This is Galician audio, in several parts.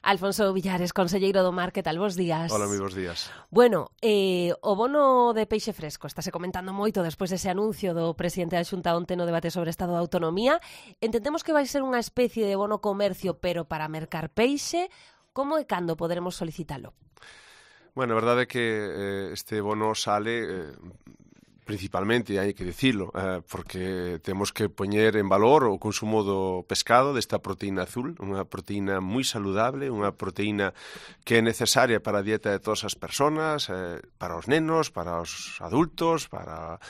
Alfonso Villares, conselleiro do Mar, que tal? Bos días. Hola, moi bos días. Bueno, o bono de peixe fresco estáse comentando moito despois dese anuncio do presidente da Xunta onte no debate sobre Estado de Autonomía. Entendemos que vai ser unha especie de bono comercio, pero para mercar peixe. Como e cando poderemos solicitalo? Bueno, a verdade é que este bono sale... principalmente, hai que dicilo, porque temos que poñer en valor o consumo do pescado, desta proteína azul, unha proteína moi saludable, unha proteína que é necesaria para a dieta de todas as persoas, para os nenos, para os adultos, para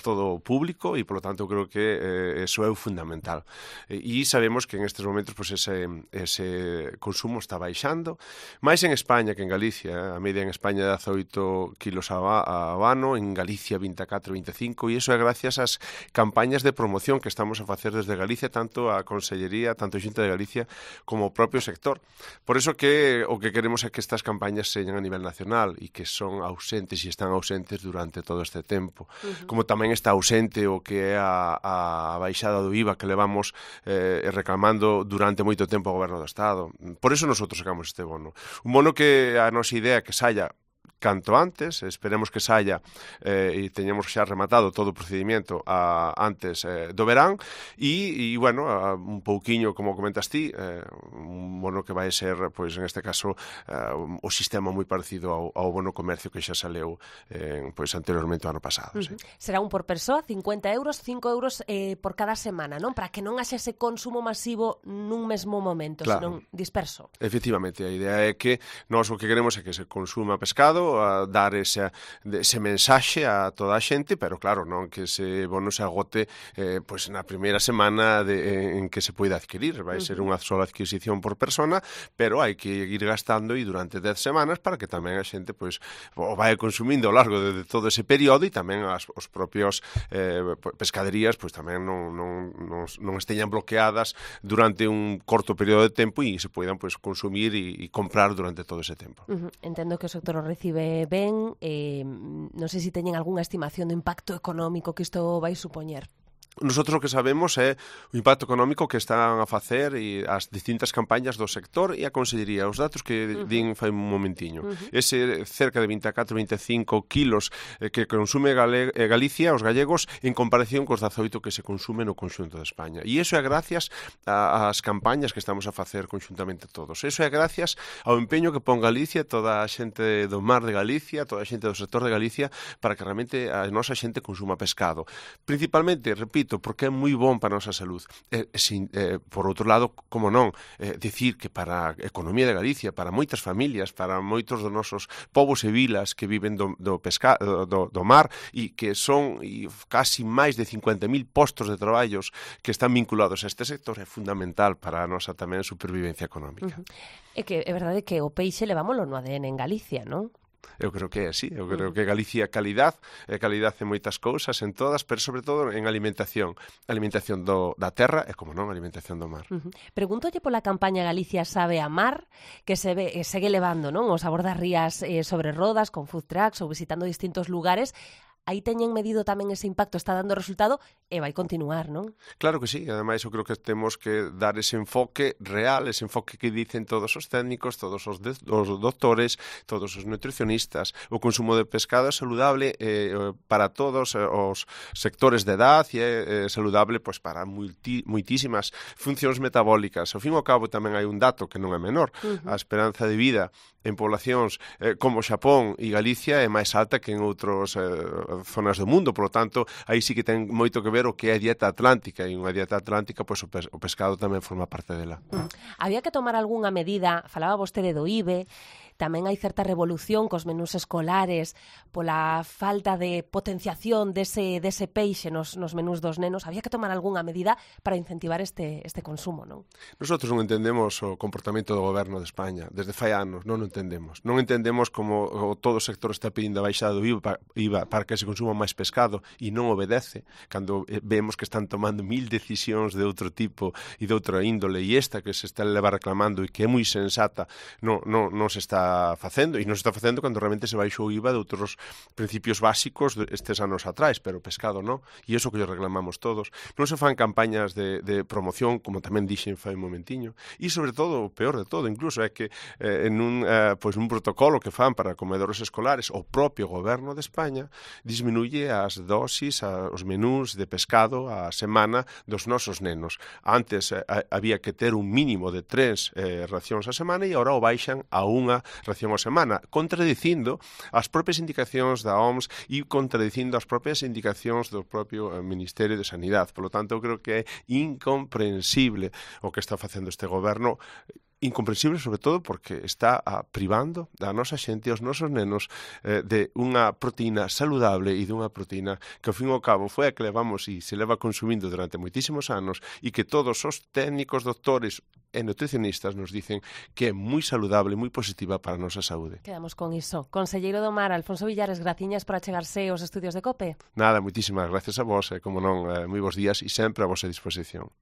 todo o público, e, polo tanto, creo que eso é o fundamental. E sabemos que en estes momentos pues, ese consumo está baixando, máis en España que en Galicia. A media en España é 18 kilos a ano, en Galicia 24, 25, e iso é gracias ás campañas de promoción que estamos a facer desde Galicia, tanto a Consellería, tanto a Xunta de Galicia, como o propio sector. Por iso que o que queremos é que estas campañas señan a nivel nacional e que son ausentes e están ausentes durante todo este tempo. Como tamén está ausente o que é a baixada do IVA que levamos reclamando durante moito tempo ao Goberno do Estado. Por iso nosotros sacamos este bono. Un bono que a nosa idea que saia canto antes, esperemos que saia e teñamos xa rematado todo o procedimento antes do verán e bueno, un pouquiño, como comentas ti, un bono que vai ser, pois en este caso, o sistema moi parecido ao bono comercio que xa saleu pois anteriormente o ano pasado. Sí. Será un por persoa, 50 euros, 5 euros por cada semana, non? Para que non haxe ese consumo masivo nun mesmo momento, claro, senón disperso. Efectivamente, a idea é que nós o que queremos é que se consuma pescado, a dar ese mensaxe a toda a xente, pero claro, non que ese bono se agote pois na primeira semana en que se poida adquirir. Vai ser unha sola adquisición por persona, pero hai que ir gastando e durante 10 semanas para que tamén a xente pois o vai consumindo ao largo de todo ese período e tamén os propios pescaderías pois tamén non esteñan bloqueadas durante un corto período de tempo e se poidan pois consumir e comprar durante todo ese tempo. Entendo que o sector o recibe ben, non sei se teñen algunha estimación do impacto económico que isto vai supoñer. Nosotros o que sabemos é o impacto económico que están a facer e as distintas campañas do sector e a Consellería. Os datos que din fai un momentiño. Ese cerca de 24-25 kilos que consume Galicia, os gallegos, en comparación cos 18 que se consume no conxunto de España. E iso é gracias ás campañas que estamos a facer conxuntamente todos. Iso é gracias ao empeño que pon Galicia, toda a xente do mar de Galicia, toda a xente do sector de Galicia, para que realmente a nosa xente consuma pescado. Principalmente, repito, porque é moi bon para a nosa salud. Por outro lado, como non, dicir que para a economía de Galicia, para moitas familias, para moitos dos nosos povos e vilas que viven do mar e que son casi máis de 50.000 postos de traballos que están vinculados a este sector, é fundamental para a nosa tamén supervivencia económica. É que é verdade que o peixe levámoslo no ADN en Galicia, non? Eu creo que é así, eu creo que Galicia é calidad en moitas cousas, en todas, pero sobre todo en alimentación da terra e, como non, alimentación do mar. Pregúntolle pola campaña Galicia sabe a mar, que segue levando, non, o sabor das rías sobre rodas, con food trucks ou visitando distintos lugares. Aí teñen medido tamén ese impacto, está dando resultado e vai continuar, non? Claro que sí, ademais eu creo que temos que dar ese enfoque real, ese enfoque que dicen todos os técnicos, todos os doctores, todos os nutricionistas. O consumo de pescado é saludable para todos os sectores de edad e é saludable pois, para moitísimas funcións metabólicas. Ao fin e ao cabo tamén hai un dato que non é menor. A esperanza de vida en poblacións como Xapón e Galicia é máis alta que en outros zonas do mundo, polo tanto, aí sí que ten moito que ver o que é a dieta atlántica, e unha dieta atlántica, pois o pescado tamén forma parte dela. Había que tomar algunha medida, falaba vostede do IVE, tamén hai certa revolución cos menús escolares pola falta de potenciación dese peixe nos menús dos nenos. Había que tomar algunha medida para incentivar este consumo, non? Nosotros non entendemos o comportamento do Goberno de España. Desde fai anos non o entendemos. Non entendemos como todo o sector está pedindo a baixada do IVA para que se consuma máis pescado e non obedece, cando vemos que están tomando 1000 decisións de outro tipo e de outra índole, e esta que se está reclamando e que é moi sensata non se está está facendo, e non se está facendo cando realmente se baixou o IVA de outros principios básicos estes anos atrás, pero pescado non, e iso que lle reclamamos todos. Non se fan campañas de promoción, como tamén dixen fai un momentiño, e sobre todo, o peor de todo, incluso é que en un protocolo que fan para comedores escolares, o propio goberno de España disminuye as dosis, os menús de pescado a semana dos nosos nenos. Antes había que ter un mínimo de 3 racións a semana e agora o baixan a 1 ración a semana, contradicindo as propias indicacións da OMS e contradicindo as propias indicacións do propio Ministerio de Sanidade. Por lo tanto, eu creo que é incomprensible o que está facendo este goberno, incomprensible sobre todo porque está privando a nosa xente e aos nosos nenos de unha proteína saludable e dunha proteína que ao fin e ao cabo foi a que levamos e se leva consumindo durante moitísimos anos e que todos os técnicos, doctores e nutricionistas nos dicen que é moi saludable e moi positiva para a nosa saúde. Quedamos con iso. Conselleiro do Mar, Alfonso Villares, graciñas por achegarse aos estudios de COPE. Nada, moitísimas gracias a vos, como non, moi bons días e sempre a vosa disposición.